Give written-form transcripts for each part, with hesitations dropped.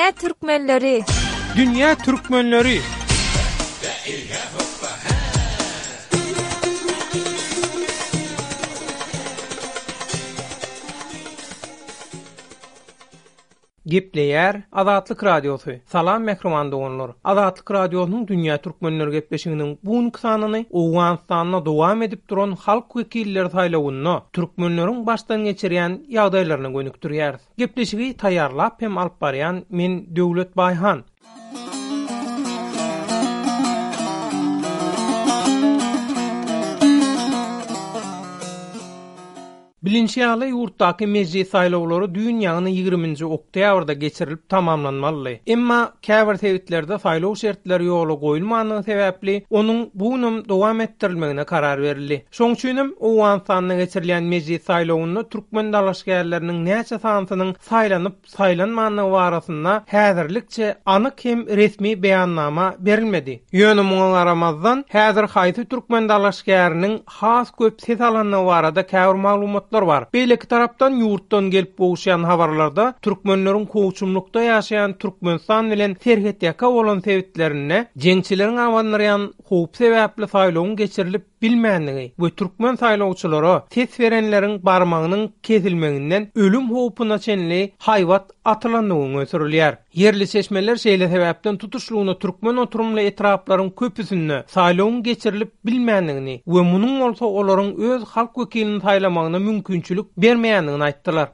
Dünýä türkmenleri! Dünýä türkmenleri! Gepleýär Azatlyk Radiosy. Salam mähriban doganlar! Azatlyk Radiosynyň Dünýä Türkmenleri gepleşiginiň bu günki sanyny Owganystanda dowam edip duran halk wekilleri saýlawynda türkmenleriň başdan geçirýän ýagdaýlaryna gönükdirýäris. Gepleşigi taýýarlap hem alyp barýan men Döwlet Baýhan. Bilinşi ýaly, ýurtdaky mejlis saýlawlary düýn, ýagny ýigriminji oktýabrda geçirilip tamamlanmalydy. Emma käbir sebitlerde saýlaw şertleri ýola goýulmandygy sebäpli, onuň bu günem dowam etdirilmegine karar berildi. Şoň üçinem Owganystanda geçirilýän mejlis saýlawynda türkmen dalaşgärleriniň näçe sanysynyň saýlanyp saýlanmandygy barasynda häzirlikçe anyk hem resmi beýannama berilmedi. Ýöne muňa garamazdan, häzir haýsy türkmen dalaşgäriniň has köp ses alandygy barada käbir maglumatlar bar. Beýleki tarapdan, ýurtdan gelip gowuşýan habarlarda türkmenleriň kowçumlykda ýaşaýan Türkmenistan bilen serhetýaka bolan sebitlerinde jeňçileriň abandyrýan howp sebäpli saýlawyň geçirilip bilmändigi we türkmen saýlawçylara ses berenleriň barmagynyň kesilmeginden ölüm howpuna çenli haýbat atylandygy öňe sürülýär. Ýerli çeşmeler şeýle sebäpden tutuşlygyna türkmen oturymly etraplaryň köpüsinde saýlawyň geçirilip bilmändigini we munuň bolsa olaryň öz halk wekilini saýlamagyna mümkinçilik bermeýändigini aýtdylar.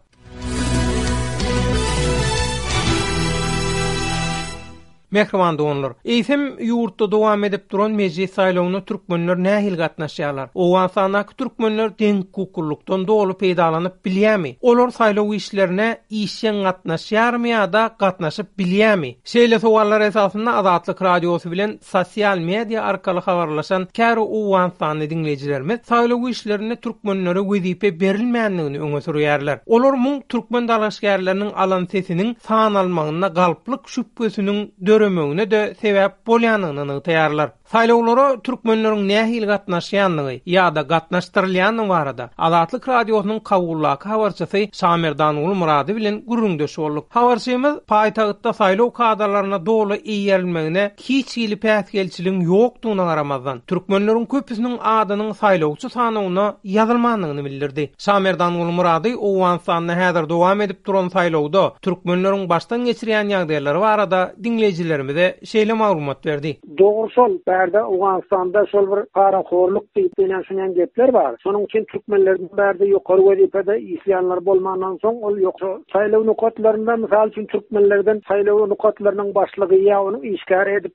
Mähriban doganlar! Eýsem, ýurtda dowam edip duran mejlis saýlawyna türkmenler nähili gatnaşýarlar? Owganystandaky türkmenler deňhukuklylykdan doly peýdalanyp bilýärmi? Olar saýlaw işlerine işjeň gatnaşýarmy ýa-da gatnaşyp bilýärmi? Şeýle sowallar esasynda Azatlyk Radiosy bilen sosial media arkaly habarlaşan käbir owganystanly diňleýjilerimiz saýlaw işlerinde türkmenlere wezipe berilmändigini öňe sürýärler. Olar muň türkmen dalaşgärleriniň alan sesiniň sanalmagynda galplyk şübhesiniň döremegine-de sebäp bolýandygyny nygtaýarlar. Saýlawlara türkmenleriň nähili gatnaşýandygy ýa-da gatnaşdyrylýandygy barada Azatlyk Radiosynyň Kabuldaky habarçysy Şamerdanguly Myrady bilen gürrüňdeş bolduk. Habarçymyz paýtagtda saýlaw kadalaryna doly eýerilmegine hiç hili päsgelçiligiň ýokdugyna garamazdan, türkmenleriň köpüsiniň adynyň saýlawçy sanawyna ýazylmandygyny bildirdi. Şamerdanguly Myrady Owganystanda häzir dowam edip duran saýlawda türkmenleriň başdan geçirýän ýagdaýlary barada diňleýjilerimize şeýle maglumat berdi. Dogry şol, bärde Owganystanda şol bir parahorluk diýip ýöne şunýan gepler bar. Şonuň üçin türkmenlerden bärde ýokary wezipede işleýänler bolmandan soň ol ýoksa saýlaw nokatlarynda mysal üçin türkmenlerden saýlaw nokatlarynyň başlygy ýa onuň işgäri edip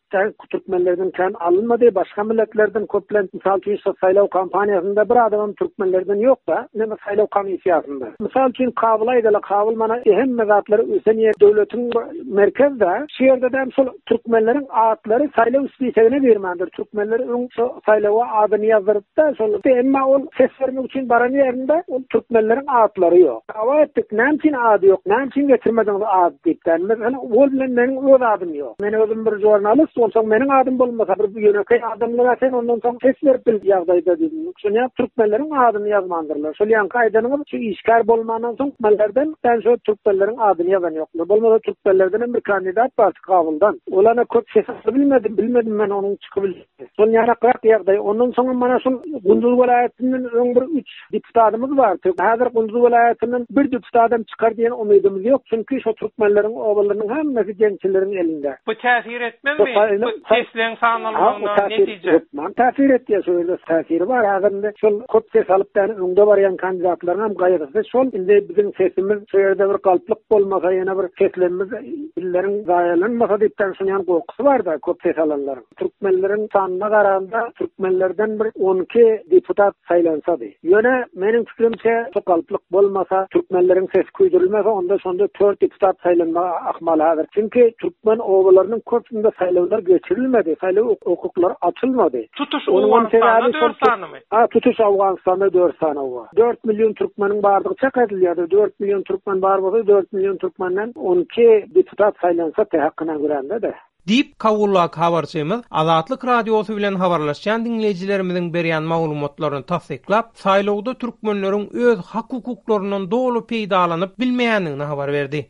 türkmenlerden kän alynmady başga milletlerden köplenç mysal üçin şo saýlaw kampaniýasynda bir adamam türkmenlerden ýokda neme saýlaw komissiýasynda. Mysal üçin Kabyla aýdaly Kabyl mana hemme zatlar ösen ýer döwletiň merkezde şu ýerdedem şol Türkmenleriň atlary saýlaw spisegine girmändir. Türkmenler öň şo saýlawa adyny ýazdyrypda şol emma ol ses bermek üçin baran ýerinde ol türkmenleriň atlary ýok. Dawa etdik näme üçin ady ýok, näme üçin getirmediňiz ady diýip. Meselem ol bilen meniň öz adym ýok. Men özüm bir žurnalist onsoň meniň adym bolmasa bir ýönekeý adamlara sen ondan soň ses berip bil ýagdaýda diýdim. Şonýa türkmenleriň adyny ýazmandyrlar. Şol ýaňky aýdanyňyz şu işgär bolmandan soň türkmenlerden sen şo türkmenleriň adyny ýazan ýoklar. Bolmasa türkmenlerdenem bir kandidat bar Kabuldan. Ol ana köp ses alyp bilmedi, bilmedim men onuň çykyp bilmedi. Şol ýanakrak ýagdaý. Ondan soňam mana şol Gunduz welaýatyndan öň bir üç deputatymyz bardy. Häzir Gunduz welaýatyndan bir deputatam çykar diýen umydymyz ýok. Çünki şo türkmenleriň obalarynyň hemmesi jeňçileriň elinde. Bu täsir etmezmi bu sesleň sanalmagyna netije? Hökman täsir etýär. Şo ýerde täsiri bar. Häzir indi şol köp ses alyp ýany öňde barýan kandidatlaryňam gaýgysy şol. Indi biziň sesimiz şo ýerde bir galplyk bolmasa ýene bir seslerimiz Dilleriň zaýalanmasa diýipden şunýan gorkusy barda köp ses alanlaryň. Türkmenleriň sanyna garanda türkmenlerden bir 12 deputat saýlansady. Ýöne meniň pikirimçe şu galplyk bolmasa, türkmenleriň sesi küýdürilmese onda şonda 4 deputat saýlanmagy ahmal häzir. Çünki türkmen obalarynyň köpüsinde saýlawlar geçirilmedi, saýlaw hukuklary açylmady. Tutuş Owganystanda 4 sanymy? A tutuş Owganystanda 4 sany oba. 4 million türkmeniň bardygy çak edilýärdi. 4 million türkmen bar bolsa, 4 million türkmenden 12 deputat saýlansa te hakyna görände-de. Diýip, Kabuldaky habarçymyz Azatlyk Radiosy bilen habarlaşýan diňleýjilerimiziň berýän maglumatlaryny tassyklap, saýlawda türkmenleriň öz hak-hukuklaryndan doly peýdalanyp bilmeýändigini habar berdi.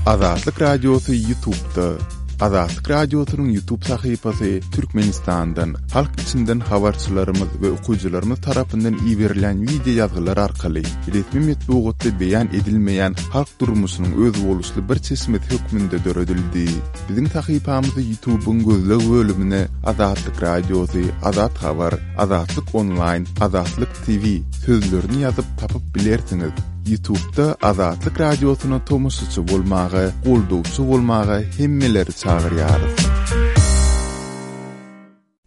Azatlyk Radiosy Ýutubda. Azatlyk Radiosynyň Ýutub sahypasy Türkmenistandan, halk içinden habarçylarymyz we okyjylarymyz tarapyndan iberilýän wideo ýazgylar arkaly resmi metbugatda beýan edilmeýän halk durmuşynyň özboluşly bir çeşmesi hökmünde döredildi. Biziň sahypamyzy Ýutubyň gözleg bölümine Azatlyk Radiosy, Azat Habar, Azatlyk Onlaýn, Azatlyk TV sözlerini ýazyp tapyp bilersiňiz. Ýutubda Azatlyk Radiosyna tomaşaçy bolmaga, goldawçy bolmaga hemmeleri çagyrýarys.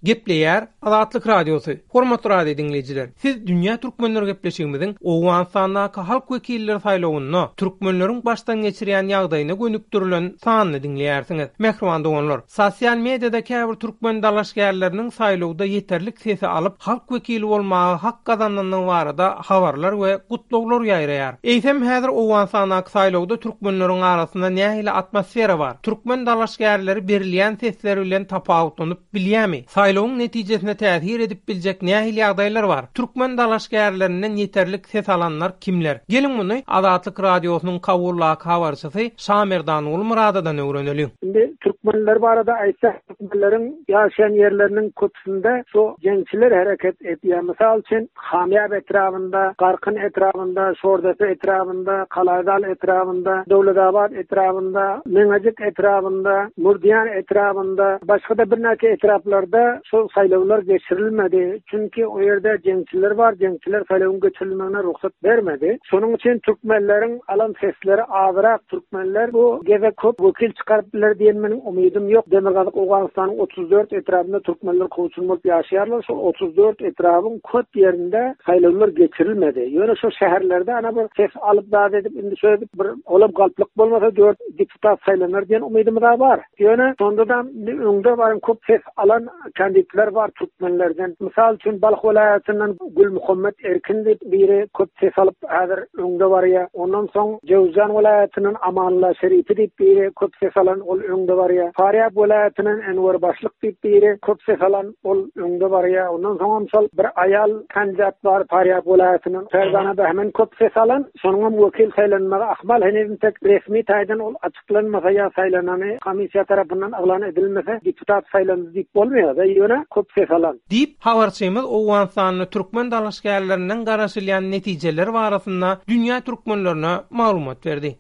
Gepleýär Azatlyk Radiosy. Hormatly radio diňleýjiler, siz Dünýä Türkmenleri gepleşigimiziň Owganystandaky halk wekilleri saýlawynda türkmenleriň başdan geçirýän ýagdaýyna gönükdirilen sanyny diňleýärsiňiz. Mähriban doganlar, sosial mediada käbir türkmen dalaşgärleriniň saýlawda ýeterlik sesi alyp, halk wekili bolmaga hak gazanandygy barada habarlar we gutlaglar ýaýraýar. Eýsem, häzir Owganystandaky saýlawda türkmenleriň arasynda nähili atmosfera bar? Türkmen dalaşgärleri berilýän sesler bilen tapawutlanyp bilýärmi? Saýlawyň netijesine täsir edip biljek nähili ýagdaýlar bar? Türkmen dalaşgärlerinden ýeterlik ses alanlar kimler? Geliň muny Azatlyk Radiosynyň Kabuldaky habarçysy Şamerdan Gulmyradadan öwreneliň. Indi türkmenler barada aýtsak, türkmenleriň ýaşaýan ýerleriniň köpüsinde şu jeňçiler hereket edýär. Mysal üçin, Hamýap etrabynda, Garkyn etrabynda, Şordepe etrabynda, Kalaýzal etrabynda, Döwletabat etrabynda, Meňejik etrabynda, Murdiýan etrabynda, başga-da birnäçe etraplarda şol saýlawlar geçirilmedi. Çünki o ýerde jeňçiler bar, jeňçiler saýlawyň geçirilmegine rugsat bermedi. Şonuň üçin türkmenleriň alan sesleri azyrak. Türkmenler bu gezek köp wekil çykaryp biler diýen meniň umydym ýok. Demirgazyk Owganystanyň 34 etrabynda türkmenler kowçum bolup ýaşaýarlar. Şol 34 etrabyň köp ýerinde saýlawlar geçirilmedi. Ýöne şo şäherlerde ana bir ses alyp zat edip indi şöýdüp bir olam galplyk bolmasa dört deputat saýlanar diýen umydymyz-a bar. Ýöne şonda-da indi öňde baran köp ses alan kandidler bar türkmenlerden. Mysal üçin Balh welaýatyndan Gülmuhammet Erkin diýip biri köp ses alyp häzir öňde barýar. Ondan soň Jöwüzjan welaýatyndan Amanla Şeripi diýip biri köp ses alan ol öňde barýar. Farýab welaýatyndan Enwer Başlyk diýip biri köp ses alan ol öňde barýar. Ondan soňam şol bir aýal kandidat bar Farýab welaýatyndan Ferzana Behmen köp ses alan. Şonuňam wekil saýlanmagy ahmal. Heniz entek resmi taýdan ol açyklanmasa ýa saýlanany komissiýa tarapyndan yglan edilmese deputat saýlandy diýip bolmaýar-da, ýöne köp ses alan. Diýip, habarçymyz Owganystanda türkmen dalaşgärlerinden garaşylýan netijeler barasynda dünýä türkmenlerine maglumat berdi.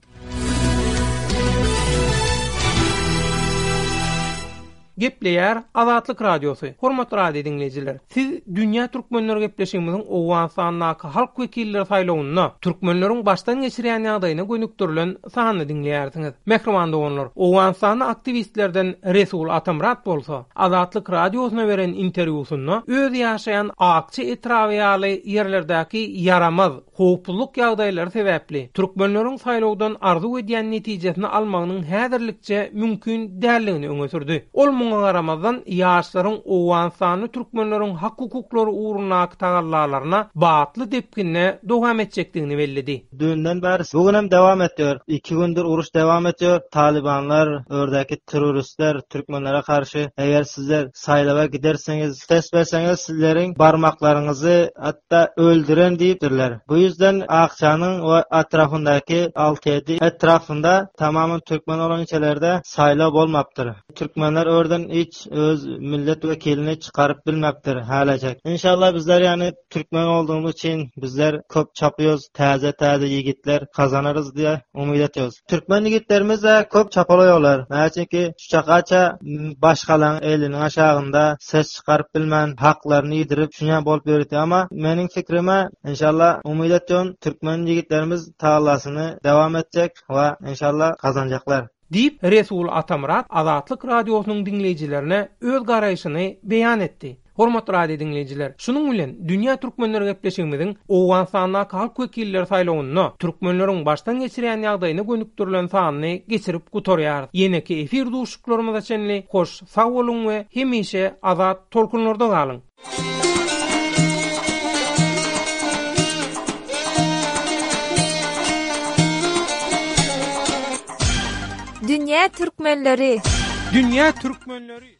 Gepleýär Azatlyk Radiosy. Hormatly radio diňleýjiler, siz Dünýä Türkmenleri gepleşigimiziň Owganystandaky halk wekilleri saýlawynda türkmenleriň başdan geçirýän ýagdaýyna gönükdirilen sanyny diňleýärsiňiz. Mähriban doganlar, Owganystanly aktiwistlerden Resul Atamyrat bolsa, Azatlyk Radiosyna beren interwýusynda öz ýaşaýan Akça etraby ýaly ýerlerdäki ýaramaz, Howpsuzlyk ýagdaýlary sebäpli, türkmenleriň saýlawdan arzuw edýän netijesini almagynyň häzirlikçe mümkin däldigini öňe sürdi. Ol muňa garamazdan, ýaşlaryň owganystanly türkmenleriň hak-hukuklary ugrundaky tagallalaryna batly depginde dowam etjekdigini belledi. Dünden bäri bu günem dewam etýär. Iki gündür uruş dewam etýär. Talybanlar, ördäki terroristler türkmenlere garşy eger sizler saýlawa gidersiňiz, ses berseňiz sizleriň barmaklaryňyzy hatda öldüren diýipdirler. Bu ýüzden Akjanyň we atrafyndaky alty-ýedi etrapynda tamamen türkmen bolan ilçelerde saýlaw bolmapdyr. Türkmenler örden hiç öz millet wekilini çykaryp bilmepdir hälejek. Inşallah bizler ýany türkmen boldugymyz üçin bizler köp çapýoz täze täze ýigitler gazanarys diýe umyt etýoz. Türkmen ýigitlerimiz-de köp çapalaýarlar. Näme üçinki şu çakaça başgalaň eliniň aşagynda ses çykaryp bilmän haklaryny ýidirip şunýa bolup ýörüti. Amma meniň pikrime inşallah umyt etýän türkmen ýigitlerimiz tagallasyny dewam etjek we inşallah gazanjaklar. Diýip, Resul Atamyrat Azatlyk Radiosynyň diňleýjilerine öz garaýşyny beýan etdi. Hormatly radio diňleýjiler, şunuň bilen Dünýä Türkmenleri gepleşigimiziň Owganystandaky halk wekilleri saýlawynda türkmenleriň başdan geçirýän ýagdaýyna gönükdirilen sanyny geçirip gutarýarys. Ýeneki efir duşuşyklarymyza çenli hoş sag boluň we hemişe azat tolkunlarda galyň! Dünýä türkmenleri! Dünýä türkmenleri!